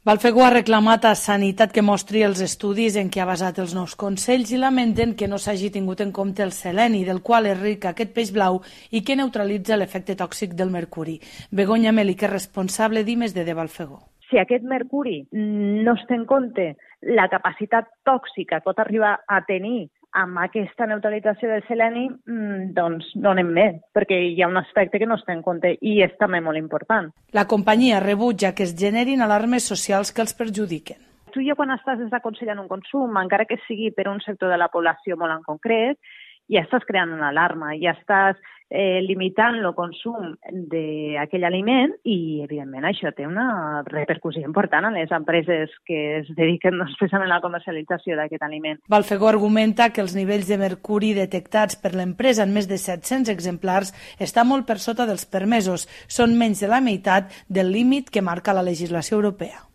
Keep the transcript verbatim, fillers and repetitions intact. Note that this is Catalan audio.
Balfegó ha reclamat a Sanitat que mostri els estudis en què ha basat els nous consells i lamenten que no s'hagi tingut en compte el seleni, del qual és ric aquest peix blau i que neutralitza l'efecte tòxic del mercuri. Begoña Meli, que és responsable d'I més D de Balfegó. Si aquest mercuri no es té en compte la capacitat tòxica que pot arribar a tenir amb aquesta neutralització del seleni, doncs no anem bé, perquè hi ha un aspecte que no es té en compte i és també molt important. La companyia rebutja que es generin alarmes socials que els perjudiquen. Tu ja quan estàs desaconsellant un consum, encara que sigui per un sector de la població molt en concret, ja estàs creant una alarma, ja estàs eh, limitant el consum d'aquell aliment i, evidentment, això té una repercussió important a les empreses que es dediquen especialment a la comercialització d'aquest aliment. Balfegó argumenta que els nivells de mercuri detectats per l'empresa en més de set-cents exemplars està molt per sota dels permesos, són menys de la meitat del límit que marca la legislació europea.